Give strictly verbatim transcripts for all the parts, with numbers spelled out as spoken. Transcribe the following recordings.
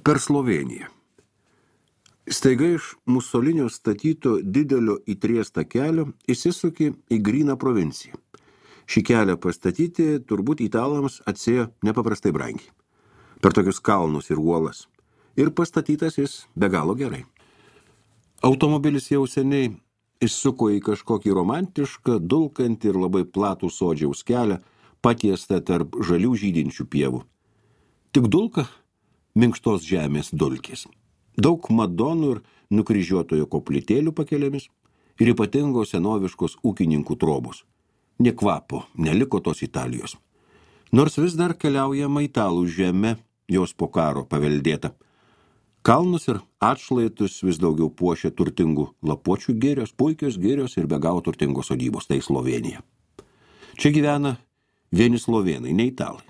Per Slovėniją. Staiga iš Musolinio statyto didelio įtriestą kelio įsisuki į gryną provinciją. Šį kelią pastatyti turbūt italams atsėjo nepaprastai brangiai. Per tokius kalnus ir uolas. Ir pastatytas jis be galo gerai. Automobilis jau seniai įsuko į kažkokį romantišką, dulkantį ir labai platų sodžiaus kelią, patiestą tarp žalių žydinčių pievų. Tik dulka minkštos žemės dulkės. Daug madonų ir nukryžiuotojo koplytėlių pakelėmis ir ypatingos senoviškos ūkininkų trobos. Nė kvapo neliko tos Italijos. Nors vis dar keliaujama italų žemė, jos po karo paveldėta. Kalnus ir atšlaitus vis daugiau puošia turtingų lapuočių girios, puikios girios ir be galo turtingos sodybos, tai Slovėnija. Čia gyvena vieni slovėnai, ne italai.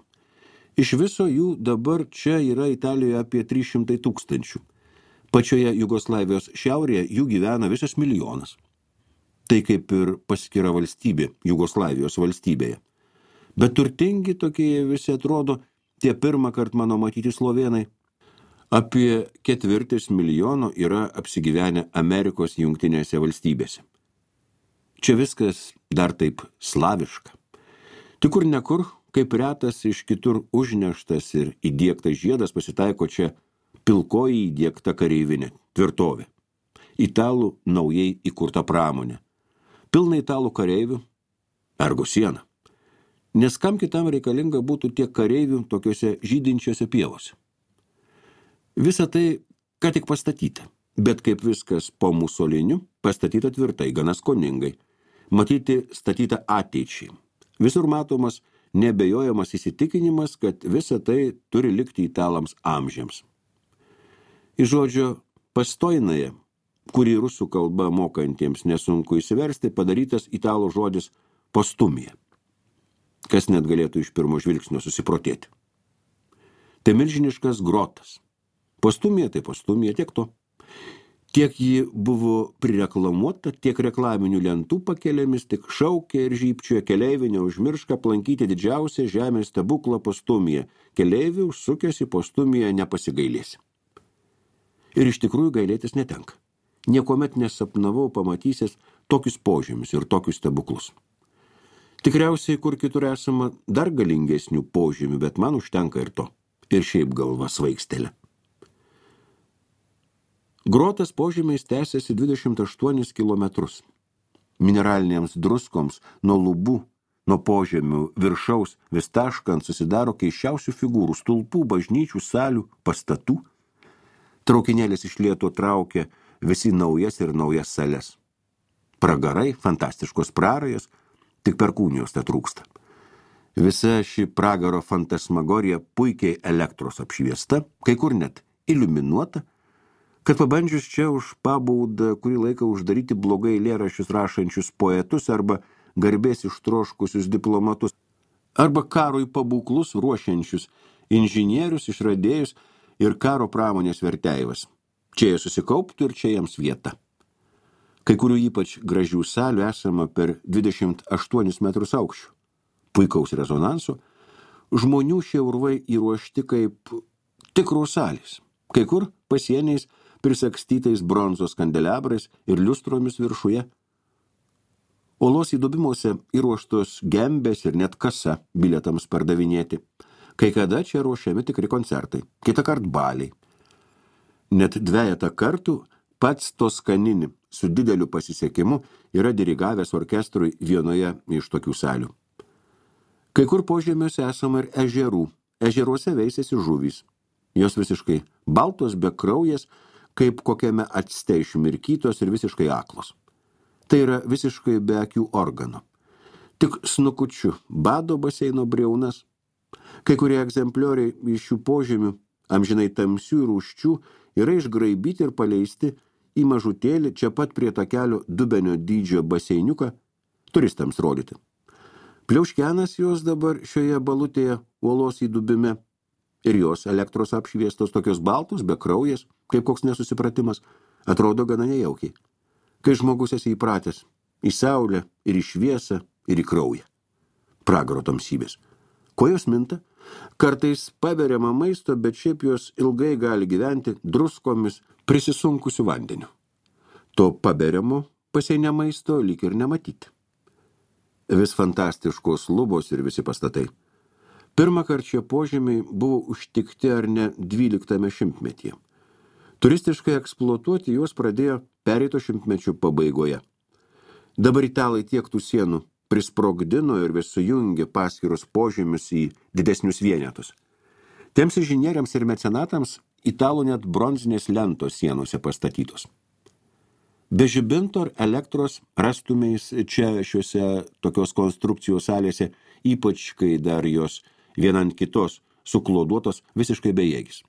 Iš viso jų dabar čia yra Italijoje apie trys šimtai tūkstančių. Pačioje Jugoslavijos šiaurėje jų gyvena visas milijonas. Tai kaip ir paskira valstybė Jugoslavijos valstybėje. Bet turtingi tokie visi atrodo, tie pirmą kart mano matyti slovėnai. Apie ketvirtis milijono yra apsigyvenę Amerikos jungtinėse valstybėse. Čia viskas dar taip slaviška. Tik kur nekur, kaip retas iš kitur užneštas ir įdiegtas žiedas pasitaiko čia pilkoji įdiegta kareivinė, tvirtovė. Italų naujai įkurta pramonė. Pilna italų kareivių, ergo siena. Nes kam kitam reikalinga būtų tiek kareivių tokiuose žydinčiuose pievose. Visa tai, ką tik pastatyta, bet kaip viskas po Musoliniu, pastatyta tvirtai, gana skoningai. Matyti statyta ateičiai. Visur matomas nebejojamas įsitikinimas, kad visa tai turi likti italams amžiams. Iš žodžio pastoinaje, kurį rusų kalba mokantiems nesunku įsiversti, padarytas italų žodis postumija, kas net galėtų iš pirmo žvilgsnio susiprotėti. Tai milžiniškas grotas. Postumija tai postumija, tiek to. Tiek ji buvo prireklamuota, tiek reklaminių lentų pakelėmis, tik šaukė ir žypčioje keleivių neužmirška aplankyti didžiausią žemės stebuklą postumiją. Keleivių užsukęs į postumiją nepasigailėsi. Ir iš tikrųjų gailėtis netenka. Niekuomet nesapnavau pamatysęs tokius požymius ir tokius stebuklus. Tikriausiai, kur kitur esama dar galingesnių požymių, bet man užtenka ir to. Ir šiaip galva svaigstelė. Grotas požymiais tęsiasi dvidešimt aštuonis kilometrus. Mineralinėms druskoms nuo lubų, nuo požemių viršaus vis taškant susidaro keiščiausių figūrų, stulpų, bažnyčių, salių, pastatų. Traukinėlis iš lėto traukia visi naujas ir naujas sales. Pragarai, fantastiškos prarajos, tik perkūnijos te trūksta. Visa ši pragaro fantasmagorija puikiai elektros apšviesta, kai kur net iliuminuota, kad pabandžius čia už pabaudą kurį laiką uždaryti blogai eilėraščius rašančius poetus arba garbės ištroškusius diplomatus, arba karui pabūklus ruošiančius inžinierius, išradėjus ir karo pramonės verteivas. Čia jie susikauptų ir čia jiems vieta. Kai kurių ypač gražių salių esama per dvidešimt aštuonis metrus aukščių. Puikaus rezonanso, žmonių šie urvai įruošti kaip tikrų salės. Kai kur pasieniais prisakstytais bronzos kandelabrais ir liustromis viršuje. Olos įdubimuose įruoštos gembės ir net kasa bilietams pardavinėti. Kai kada čia ruošiami tikri koncertai, kitą kart baliai. Net dvejetą kartų pats Toskanini su dideliu pasisekimu yra dirigavęs orkestrui vienoje iš tokių salių. Kai kur požemiuose esama ir ežerų. Ežeruose veisiasi žuvys. Jos visiškai baltos, be kraujas, kaip kokiame acte išmirkytos ir visiškai aklos. Tai yra visiškai be akių organo. Tik snukučiu bado baseino briaunas. Kai kurie egzemplioriai iš šių požemių, amžinai tamsių ir rūščių, yra išgraibyti ir paleisti į mažutėlį čia pat prie takelio dubenio dydžio baseiniuką turistams rodyti. Pliauškenas jos dabar šioje balutėje uolos įdubime ir jos elektros apšviestos tokios baltos, be kraujas, kaip koks nesusipratimas, atrodo gana nejaukiai. Kai žmogus esi įpratęs į saulę ir į šviesą ir į kraują. Pragaro tamsybės. Kuo jos minta? Kartais paberiama maisto, bet šiaip jos ilgai gali gyventi druskomis prisisunkusiu vandeniu. To paberiamo paseinė maisto lyg ir nematyti. Vis fantastiškos lubos ir visi pastatai. Pirmą kartą šie požemiai buvo užtikti ar ne dvyliktame šimtmetyje. Turistiškai eksploatuoti juos pradėjo pereito šimtmečio pabaigoje. Dabar italai tiek tų sienų prisprogdino ir vis sujungė paskirus požemius į didesnius vienetus. Tiems inžinieriams ir mecenatams italų net bronzinės lentos sienose pastatytos. Be žibinto ar elektros rastumeis čia šiuose tokios konstrukcijos salėse, ypač kai dar jos viena ant kitos sukloduotos visiškai bejėgis.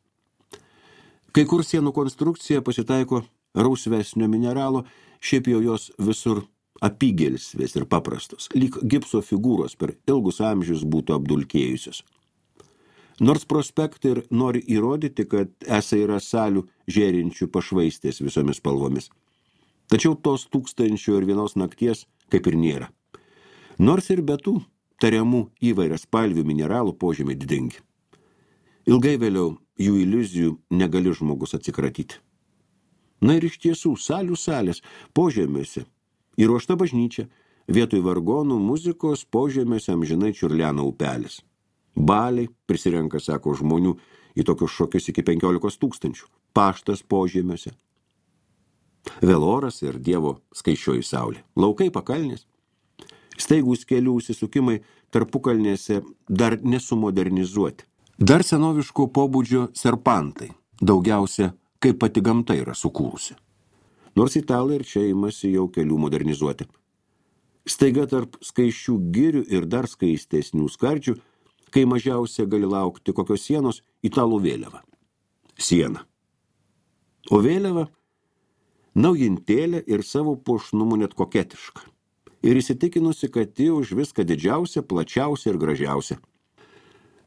Kai kur sienų konstrukcija pasitaiko rausvesnio mineralo, šiaip jau jos visur apygelsvės ir paprastos, lyg gipso figūros per ilgus amžius būtų apdulkėjusios. Nors prospektai ir nori įrodyti, kad esą yra salių žėrinčių pašvaistės visomis spalvomis. Tačiau tos tūkstančių ir vienos nakties kaip ir nėra. Nors ir be tų tariamų įvairias spalvių mineralų požemiai didingi. Ilgai vėliau jų iliuzijų negali žmogus atsikratyti. Na ir iš tiesų, salių salės požemiuose įruošta bažnyčia, vietoj vargonų muzikos požemiuose amžinai čiurlena upelis. Baliai prisirenka, sako, žmonių į tokius šokius iki penkiolikos tūkstančių. Paštas požemiuose. Vėl oras ir Dievo skaičioji saulė. Laukai pakalnės. Staigūs kelių užsisukimai tarpukalnėse dar nesumodernizuoti. Dar senoviško pobūdžio serpantai, daugiausia kaip pati gamta yra sukūrusi. Nors italai ir čia imasi jau kelių modernizuoti. Staiga tarp skaisčių girių ir dar skaistesnių skardžių, kai mažiausia gali laukti kokios sienos, italų vėliava. Siena. O vėliava naujintėlė ir savo puošnumu net koketiška. Ir įsitikinusi, kad ji už viską didžiausia, plačiausia ir gražiausia.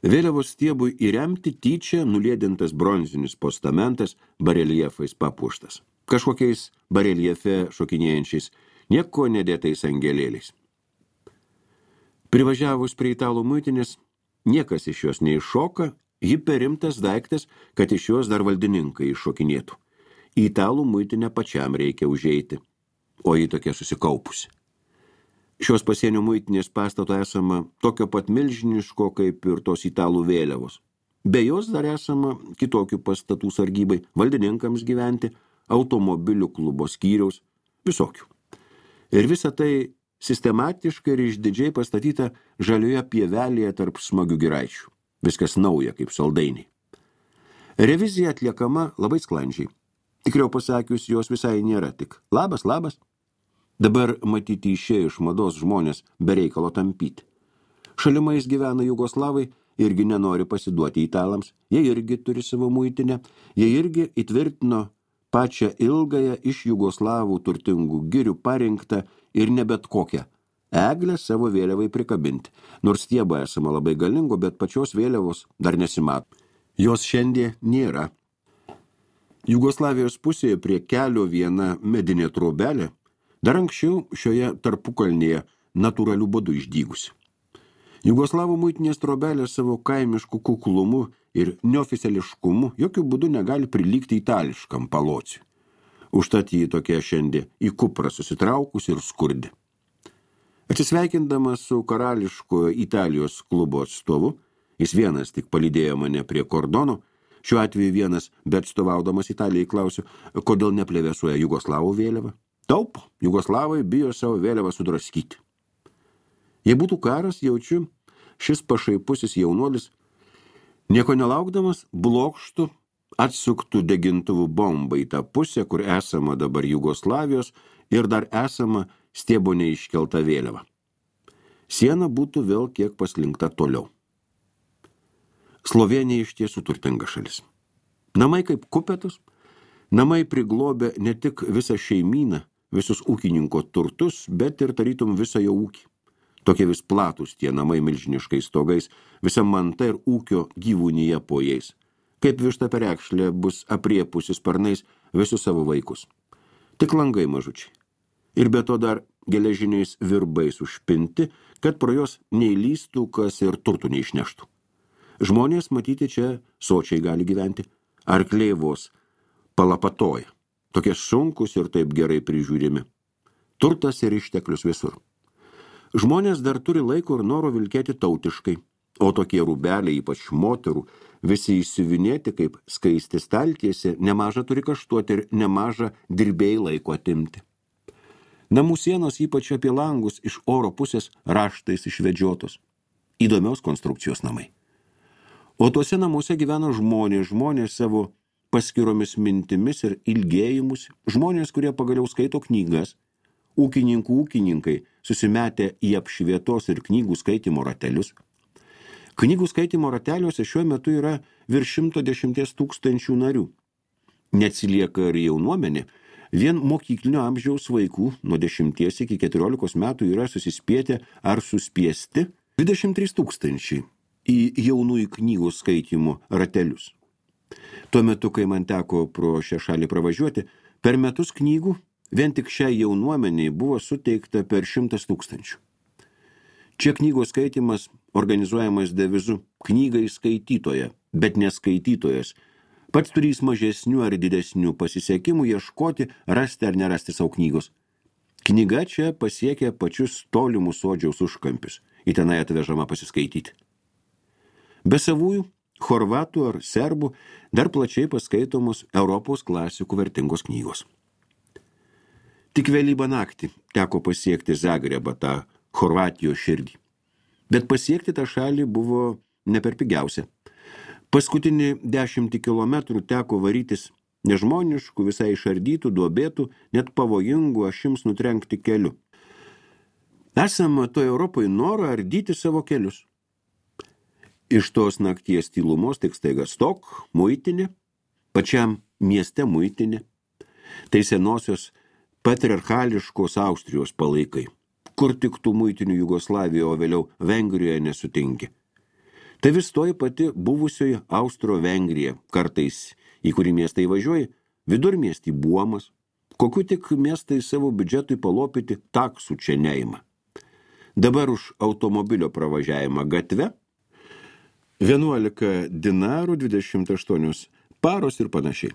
Vėliavos stiebui įremti tyčia nuliedintas bronzinis postamentas bareljefais papuoštas. Kažkokiais bareljefe šokinėjančiais, nieko nedėtais angelėliais. Privažiavus prie italų muitinės, niekas iš jos neiššoka, ji perimtas daiktas, kad iš jos dar valdininkai iššokinėtų. Į italų muitinę pačiam reikia užeiti, o ji tokia susikaupusi. Šios pasienio muitinės pastato esama tokio pat milžiniško, kaip ir tos italų vėliavos. Be jos dar esama kitokių pastatų sargybai, valdininkams gyventi, automobilių klubo skyriaus, visokių. Ir visa tai sistematiškai ir išdidžiai pastatyta žalioje pievelėje tarp smagių giraičių. Viskas nauja kaip saldainiai. Revizija atliekama labai sklandžiai. Tikriau pasakius, jos visai nėra tik labas, labas. Dabar matyti išėjo iš mados žmonės be reikalo tampyti. Šalimais gyvena jugoslavai, irgi nenori pasiduoti italams, jie irgi turi savo muitinę, jie irgi įtvirtino pačią ilgąją iš jugoslavų turtingų girių parinktą ir ne bet kokią eglę savo vėliavai prikabinti, nors stiebo esama labai galingo, bet pačios vėliavos dar nesimato. Jos šiandien nėra. Jugoslavijos pusėje prie kelio viena medinė trobelė, dar anksčiau šioje tarpukalnėje natūralių būdų išdygusi. Jugoslavų muitinės trobelė savo kaimiškų kuklumu ir neoficiališkumu jokių būdų negali prilygti itališkam palociui. Užtat jį tokia šiandien į kuprą susitraukus ir skurdi. Atsisveikindamas su karališkojo Italijos klubo atstovu, jis vienas tik palydėjo mane prie kordono, šiuo atveju vienas, bet atstovaudamas Italijai klausiu, kodėl neplevėsuoja jugoslavų vėliava. Taupo, jugoslavai bijo savo vėliavą sudraskyti. Jei būtų karas, jaučiu, šis pašaipusis jaunuolis, nieko nelaukdamas, blokštų atsuktų degintuvų bombą į tą pusę, kur esama dabar Jugoslavijos ir dar esama stiebo neiškelta vėliava. Siena būtų vėl kiek paslinkta toliau. Slovėnija iš tiesų turtinga šalis. Namai kaip kupetus, namai priglobė ne tik visą šeimyną, visus ūkininko turtus, bet ir tarytum visą jo ūkį. Tokie vis platus tie namai milžiniškais stogais, visa manta ir ūkio gyvūnyje po jais. Kaip višta perekšlė bus apriepusi sparnais visus savo vaikus. Tik langai mažučiai. Ir be to dar geležiniais virbais užpinti, kad pro jos neįlystų, kas ir turtų neišneštų. Žmonės matyti čia sočiai gali gyventi. Arkliai vos palapatoja. Tokie sunkus ir taip gerai prižiūrimi. Turtas ir išteklius visur. Žmonės dar turi laiko ir noro vilkėti tautiškai, o tokie rūbeliai, ypač moterų, visi išsiuvinėti kaip skaisti staltiesė, nemaža turi kaštuoti ir nemaža dirbėjai laiko atimti. Namų sienos, ypač apie langus, iš oro pusės raštais išvedžiotos. Įdomios konstrukcijos namai. O tuose namuose gyvena žmonės, žmonės savo paskiromis mintimis ir ilgėjimus, žmonės, kurie pagaliau skaito knygas, ūkininkų ūkininkai, susimetę į apšvietos ir knygų skaitimo ratelius. Knygų skaitimo rateliuose šiuo metu yra virš šimto dešimties tūkstančių narių. Neatsilieka ir jaunuomenė, vien mokyklinio amžiaus vaikų nuo dešimties iki keturiolikos metų yra susispietę ar suspiesti dvidešimt trys tūkstančiai į jaunųjų knygų skaitimo ratelius. Tuo metu, kai man teko pro šią šalį pravažiuoti, per metus knygų vien tik šiai jaunuomeniai buvo suteikta per šimtas tūkstančių. Čia knygos skaitimas organizuojamas devizu knygai skaitytoja, bet neskaitytojas. Pats turys mažesnių ar didesnių pasisekimų ieškoti, rasti ar nerasti savo knygos. Knyga čia pasiekia pačius tolimus sodžiaus užkampius, į tenai atvežama pasiskaityti. Be savųjų, chorvatų ar serbų dar plačiai paskaitomos Europos klasikų vertingos knygos. Tik vėlybą naktį teko pasiekti Zagrebą, tą Chorvatijos širdį. Bet pasiekti tą šalį buvo ne per pigiausia. Paskutinį dešimtį kilometrų teko varytis nežmoniškų, visai išardytų, duobėtų, net pavojingų ašims nutrenkti keliu. Esama toje Europoje noro ardyti savo kelius. Iš tos nakties tylumos tik staiga stok, muitinė, pačiam mieste muitinė. Tai senosios patriarchališkos Austrijos palaikai, kur tik tų muitinių Jugoslavijoje, o vėliau Vengrijoje nesutinki. Tai vis toji pati buvusioji Austro-Vengrija, kartais į kurį miestą įvažiuoji, vidurmiestį Buomas, kokiu tik miestai savo biudžetui palopyti taksų čia neima. Dabar už automobilio pravažiavimą gatve vienuolika dinarų, dvidešimt aštuonios paros ir panašiai.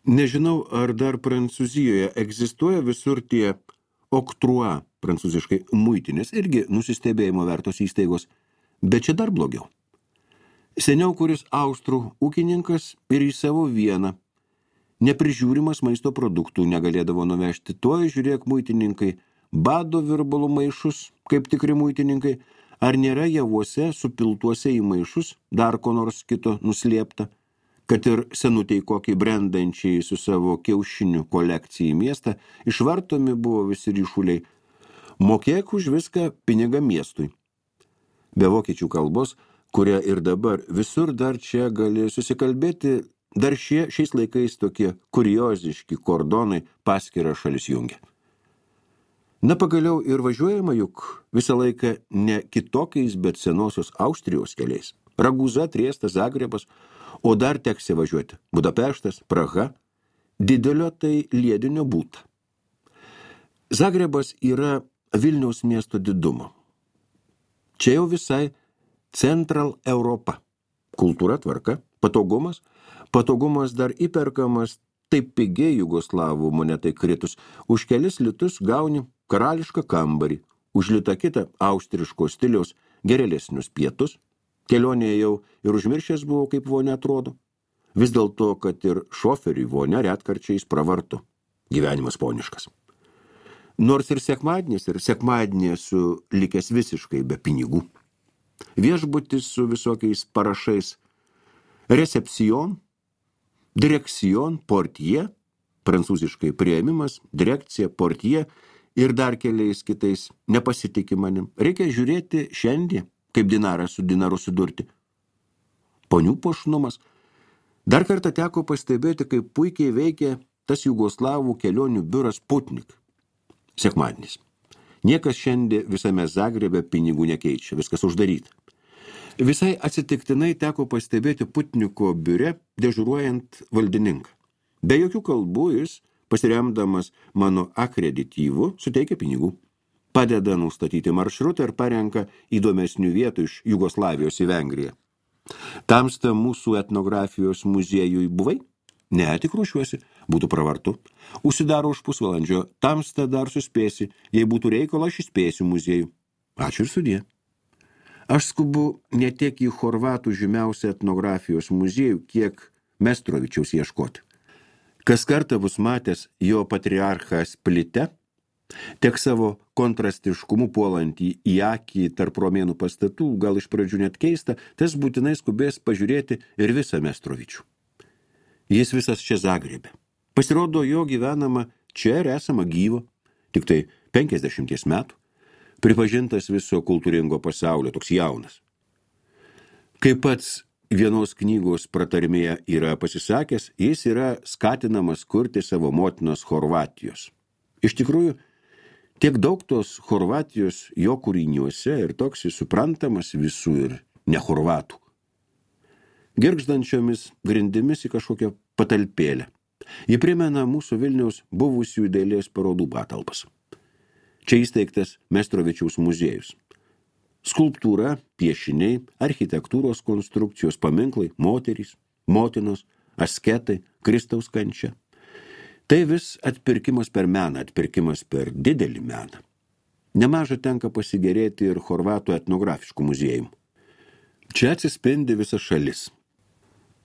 Nežinau, ar dar Prancūzijoje egzistuoja visur tie oktrua, prancūziškai muitinės, irgi nusistebėjimo vertos įstaigos, bet čia dar blogiau. Seniau kuris austrų ūkininkas ir į savo vieną neprižiūrimas maisto produktų negalėdavo nuvežti. Tuoj žiūrėk muitininkai, bado virbalų maišus, kaip tikri muitininkai, ar nėra javuose supiltuose į maišus dar ko nors kito nuslėpta, kad ir senutei kokį brendančiai su savo kiaušinių kolekcijai į miestą, išvartomi buvo visi ryšuliai. Mokėk už viską pinigą miestui. Be vokiečių kalbos, kuria ir dabar visur dar čia gali susikalbėti, dar šie šiais laikais tokie kurioziški kordonai paskirą šalis jungia. Na pagaliau ir važiuojama juk visą laiką ne kitokiais, bet senosios Austrijos keliais. Raguza, Triestas, Zagrebas, o dar teks važiuoti Budapeštas, Praha, didelio tai liedinio būta. Zagrebas yra Vilniaus miesto didumo. Čia jau visai Central Europa. Kultūra, tvarka, patogumas, patogumas dar įperkamas taip pigiai jugoslavų monetai kritus. Už kelis litus gauni karališką kambarį, už litą kitą austriško stiliaus gerėlesnius pietus. Kelionėje jau ir užmiršęs buvo, kaip vonia atrodo. Vis dėlto, kad ir šoferiui vonia retkarčiais pravartu. Gyvenimas poniškas. Nors ir sekmadienis, ir sekmadienį esu likęs visiškai be pinigų. Viešbutis su visokiais parašais recepcion, direkcion, portie, prancūziškai priėmimas, direkcija, portie ir dar keliais kitais nepasitikė manim. Reikia žiūrėti šiandien, kaip dinarą su dinaru sudurti. Ponių puošnumas. Dar kartą teko pastebėti, kaip puikiai veikia tas jugoslavų kelionių biuras Putnik. Sekmadienis. Niekas šiandien visame Zagrebe pinigų nekeičia, viskas uždaryta. Visai atsitiktinai teko pastebėti Putniko biure dežuruojant valdininką. Be jokių kalbų jis, pasiremdamas mano akredityvu, suteikia pinigų. Padeda nustatyti maršrutą ir parenka įdomesnių vietų iš Jugoslavijos į Vengriją. Tamsta mūsų etnografijos muziejui buvai? Ne, tik ruošiuosi, būtų pravartu. Užsidaro už pusvalandžio, tamsta dar suspėsi, jei būtų reikalo, aš įspėsiu muziejų. Ačiū ir sudie. Aš skubu ne tiek į Chorvatų žymiausią etnografijos muziejų, kiek Mestrovičiaus ieškoti. Kas kartą bus matęs jo patriarchą Splite, tiek savo kontrastiškumu puolantį į akį tarp romėnų pastatų, gal iš pradžių net keista, tas būtinai skubės pažiūrėti ir visą Mestrovičių. Jis visas čia Zagrebe. Pasirodo, jo gyvenama čia ir esama gyvo, tik tai penkiasdešimties metų, pripažintas viso kultūringo pasaulio, toks jaunas. Kaip pats vienos knygos pratarmėje yra pasisakęs, jis yra skatinamas kurti savo motinos Chorvatijos. Iš tikrųjų, tiek daug tos Chorvatijos jo kūriniuose ir toks jis suprantamas visų ir ne chorvatų. Girgždančiomis grindimis į kažkokią patalpėlę. Ji primena mūsų Vilniaus buvusių dailės parodų patalpas. Čia įsteigtas Mestrovičiaus muziejus. Skulptūra, piešiniai, architektūros konstrukcijos, paminklai, moterys, motinos, asketai, Kristaus kančia. Tai vis atpirkimas per meną, atpirkimas per didelį meną. Nemaža tenka pasigerėti ir Chorvatų etnografiškų muziejų. Čia atsispindi visa šalis.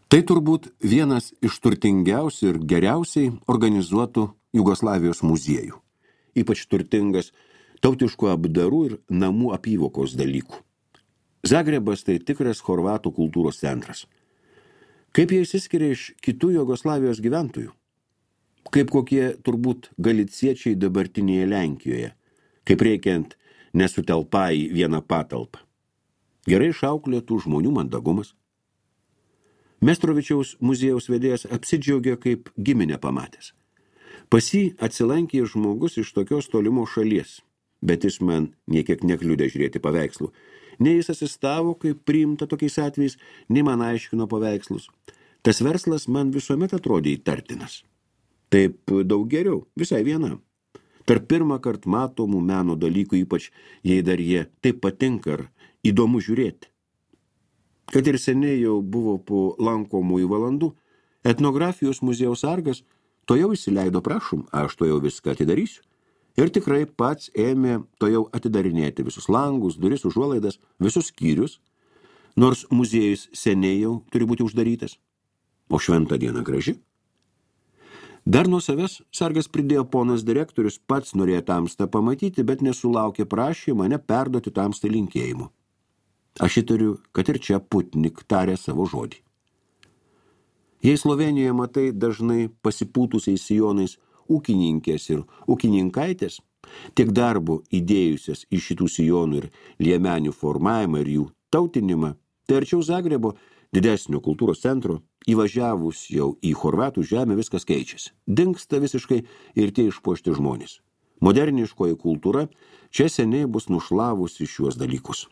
Tai turbūt vienas iš turtingiausių ir geriausiai organizuotų Jugoslavijos muziejų. Ypač turtingas tautiškų apdarų ir namų apyvokos dalykų. Zagrebas tai tikras Chorvatų kultūros centras. Kaip jie išsiskiria iš kitų Jugoslavijos gyventojų? Kaip kokie turbūt galiciečiai dabartinėje Lenkijoje, kaip reikiant nesutelpa į vieną patalpą. Gerai išauklėtų žmonių mandagumas. Mestrovičiaus muziejaus vedėjas apsidžiaugė kaip giminę pamatęs. Pas jį atsilankė žmogus iš tokios tolimos šalies, bet jis man niekiek nekliudė žiūrėti paveikslų. Nei jis asistavo, kaip priimta tokiais atvejais, nei man aiškino paveikslus. Tas verslas man visuomet atrodė įtartinas. Taip daug geriau, visai vienam. Tarp pirmą kart matomų meno dalykų, ypač jei dar jie taip patinka ar įdomu žiūrėti. Kad ir seniai jau buvo po lankomųjų valandų, etnografijos muziejaus sargas to jau įsileido, prašom, aš to jau viską atidarysiu. Ir tikrai pats ėmė to jau atidarinėti visus langus, duris, užuolaidas, visus skyrius, nors muziejus seniai jau turi būti uždarytas. O šventa diena graži. Dar nuo savęs sargas pridėjo ponas direktorius, pats norėjo tamstą pamatyti, bet nesulaukė prašė mane perduoti tamstą linkėjimu. Aš įtariu, kad ir čia Putnik tarė savo žodį. Jei Slovenijoje matai dažnai pasipūtusiais sijonais ūkininkės ir ūkininkaitės, tiek darbo įdėjusias į šitų sijonų ir liemenių formavimą ir jų tautinimą, tai arčiau Zagrebo, didesnio kultūros centro, įvažiavus jau į Chorvatų žemę viskas keičiasi. Dingsta visiškai ir tie išpuošti žmonės. Moderniškoji kultūra čia seniai bus nušlavusi šiuos dalykus.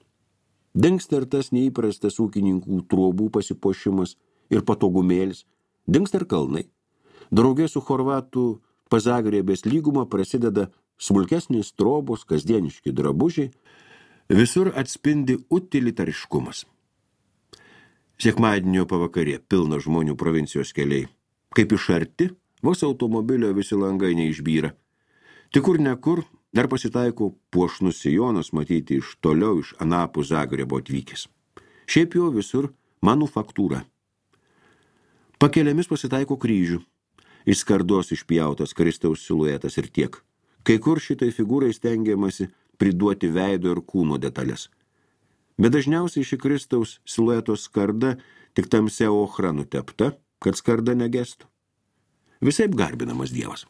Dingsta ir tas neįprastas ūkininkų trobų pasipuošimas ir patogumėlis, dingsta ir kalnai. Draugė su Chorvatų Pazagrebės lyguma prasideda smulkesnės trobos, kasdieniški drabužiai, visur atspindi utilitariškumas. Sekmadienio pavakarė pilna žmonių provincijos keliai. Kaip iš arti, vos automobilio visi langai neišbyra. Tik kur nekur dar pasitaiko puošnus sijonas matyti iš toliau iš anapų Zagrebo atvykęs. Šiaip jau visur manufaktūra. Pakeliamis pasitaiko kryžių. Iš skardos išpjautas Kristaus siluetas ir tiek. Kai kur šitai figūrai stengiamasi priduoti veido ir kūno detalės. Bet dažniausiai ši Kristaus silueto skarda tik tamsia ochra nutepta, kad skarda negestų. Visaip garbinamas Dievas.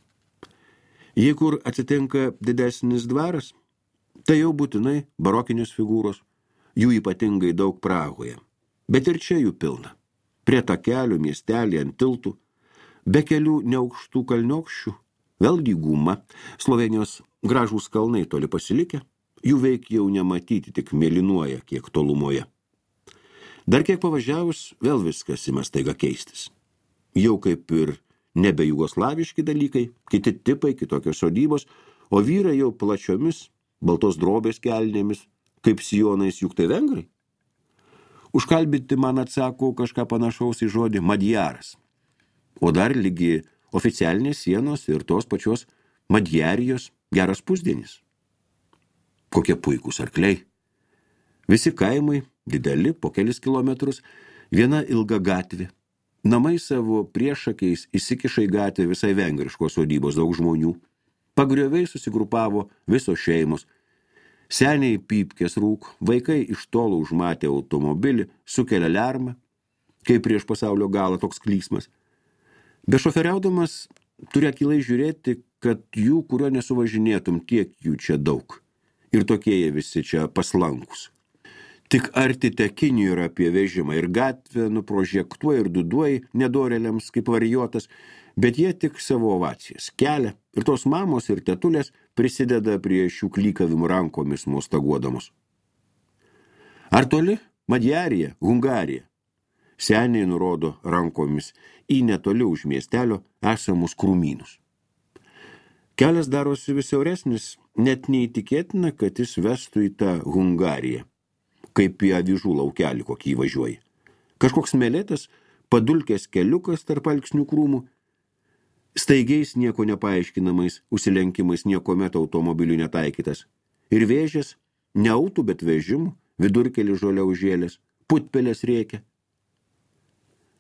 Jei kur atsitinka didesnis dvaras, tai jau būtinai barokinės figūros, jų ypatingai daug Prahoje. Bet ir čia jų pilna. Prie takelių, miestelį, ant tiltų, be kelių neaukštų kalniokščių, vėl lyguma, Slovenijos gražūs kalnai toli pasilikę, jų veik jau nematyti, tik mėlynuoja kiek tolumoje. Dar kiek pavažiavus, vėl viskas ima staiga keistis. Jau kaip ir nebe jugoslaviški dalykai, kiti tipai, kitokios sodybos, o vyrai jau plačiomis, baltos drobės kelnėmis, kaip sijonais, juk tai vengrai. Užkalbinti man atsako kažką panašaus į žodį Madjaras. O dar lygi oficialinės sienos ir tos pačios Madjarijos geras pusdienis. Kokie puikūs arkliai. Visi kaimai, dideli, po kelis kilometrus, viena ilga gatvė. Namai savo priešakiais įsikiša į gatvę visai vengriškos sodybos daug žmonių. Pagrioviai susigrupavo visos šeimos. Seniai pypkės rūk, vaikai iš tolo užmatė automobilį, sukelia lermą, kaip prieš pasaulio galą toks klyksmas. Bešoferiaudamas turi akylai žiūrėti, kad jų, kurio nesuvažinėtum, tiek jų čia daug. Ir tokie jie visi čia paslankus. Tik arti tekinių yra apie vežimą ir gatvę nuprožektuoja ir duduoja nedoreliams kaip varijotas, bet jie tik savo ovacijas kelia ir tos mamos ir tetulės prisideda prie šių klykavimų rankomis mostaguodamos. Ar toli? Madjarija, Hungarija. Seniai nurodo rankomis į netoli už miestelio esamus krūmynus. Kelias darosi vis siauresnis, net neįtikėtina, kad jis vestų į tą Hungariją, kaip į avižų laukelį kokį įvažiuoja. Kažkoks melėtas, padulkės keliukas tarp alksnių krūmų, staigiais nieko nepaaiškinamais, užsilenkimais niekomet automobilių netaikytas. Ir vėžės, ne autų, bet vežimų, vidurkelį žolę užėlės, putpelės rėkia.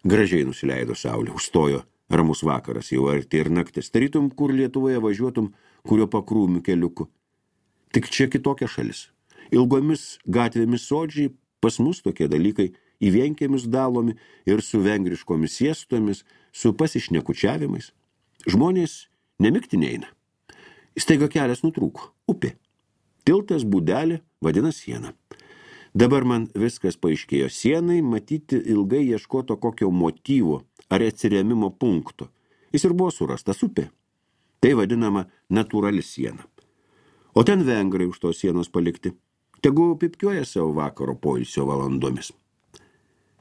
Gražiai nusileido saulė, užstojo ramus vakaras, jau arti ir naktis. Tarytum, kur Lietuvoje važiuotum, kurio pakrūmių keliuku. Tik čia kitokia šalis. Ilgomis gatvėmis sodžiai, pas mus tokie dalykai į vienkėmis dalomi ir su vengriškomis siestomis, su pasišnekučiavimais. Žmonės nemikti neina. Staiga kelias nutrūko. Upė. Tiltas būdelė vadina sieną. Dabar man viskas paaiškėjo. Sienai matyti ilgai ieškoto kokio motyvo ar atsirėmimo punkto. Jis ir buvo surastas upė. Tai vadinama natūrali siena. O ten vengrai už tos sienos palikti. Tegu pipkiuoja savo vakaro poilsio valandomis.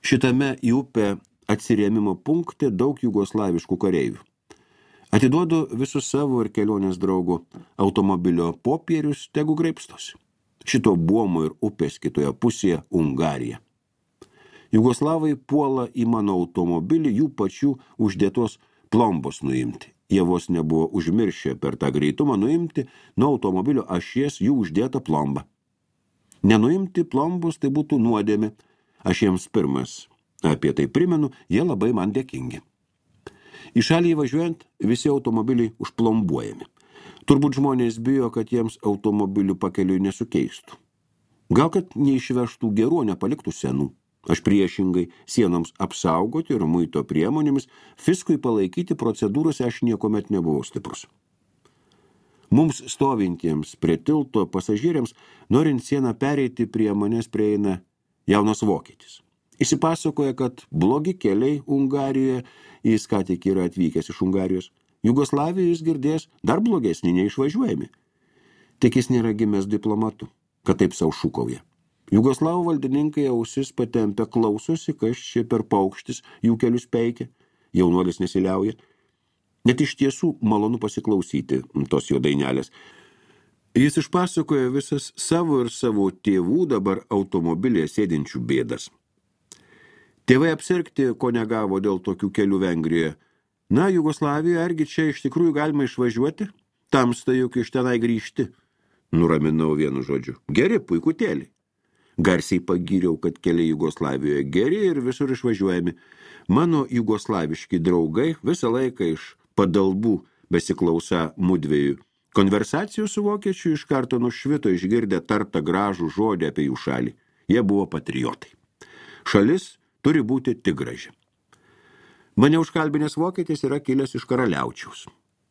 Šitame į upę atsirėmimo punkte daug jugoslaviškų kareivių. Atiduodu visus savo ir kelionės draugų automobilio popierius, tegu graibstosi. Šito buomo ir upės kitoje pusėje Hungarija. Jugoslavai puola į mano automobilį jų pačių uždėtos plombos nuimti. Jie vos nebuvo užmiršę per tą greitumą nuimti nuo automobilio ašies jų uždėtą plombą. Nenuimti plombus tai būtų nuodėmė. Aš jiems pirmas apie tai primenu, jie labai man dėkingi. Į šalį įvažiuojant, visi automobiliai užplombuojami. Turbūt žmonės bijo, kad jiems automobilių pakeliui nesukeistų. Gal kad neišvežtų gerų, nepaliktų senų. Aš priešingai sienoms apsaugoti ir muito priemonėmis, fiskui palaikyti procedūrose aš niekomet nebuvau stiprus. Mums stovintiems prie tilto pasažieriams, norint sieną pereiti, prie manęs prieina jaunas vokietis. Įsipasakoja, kad blogi keliai Hungarijoje, jis ką tik yra atvykęs iš Hungarijos. Jugoslavijoje jis girdės dar blogesnį neišvažiuojami. Tik jis nėra gimęs diplomatu, kad taip sau šūkauja. Jugoslavų valdininkai ausis patempę klausosi, kas čia per paukštis jų kelius peikia. Jaunuolis nesiliauja. Net iš tiesų malonu pasiklausyti tos jo dainelės. Jis išpasakoja visas savo ir savo tėvų dabar automobilėje sėdinčių bėdas. Tėvai apsirgti, ko negavo dėl tokių kelių Vengrijoje. Na, Jugoslavijoje, argi čia iš tikrųjų galima išvažiuoti? Tamsta juk iš tenai grįžti. Nuraminau vienu žodžiu. Geri, puikutėlį. Garsiai pagyriau, kad keliai Jugoslavijoje geri ir visur išvažiuojami. Mano jugoslaviški draugai visą laiką iš padalbų besiklausa mudviejų. Konversacijų su vokiečiu iš karto nušvito išgirdę tartą gražų žodį apie jų šalį. Jie buvo patriotai. Šalis turi būti tik graži. Mane užkalbinęs vokietis yra kilęs iš Karaliaučiaus.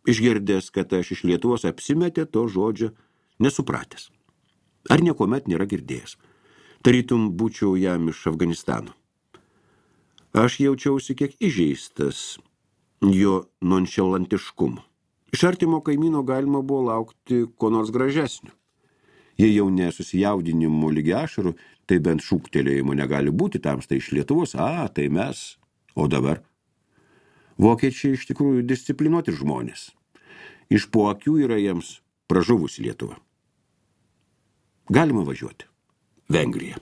Išgirdęs, kad aš iš Lietuvos apsimetė to žodžio nesupratęs. Ar niekomet nėra girdėjęs. Tarytum būčiau jam iš Afganistano. Aš jaučiausi kiek įžeistas jo nonšalantiškumu. Iš artimo kaimyno galima buvo laukti ko nors gražesnio. Jei jau nesusijaudinimo lygi ašarų, tai bent šūktelėjimo negali būti, tamsta iš Lietuvos, a, tai mes. O dabar? Vokiečiai iš tikrųjų disciplinuoti žmonės. Iš po akių yra jiems pražuvusi Lietuva. Galima važiuoti. Vengrija.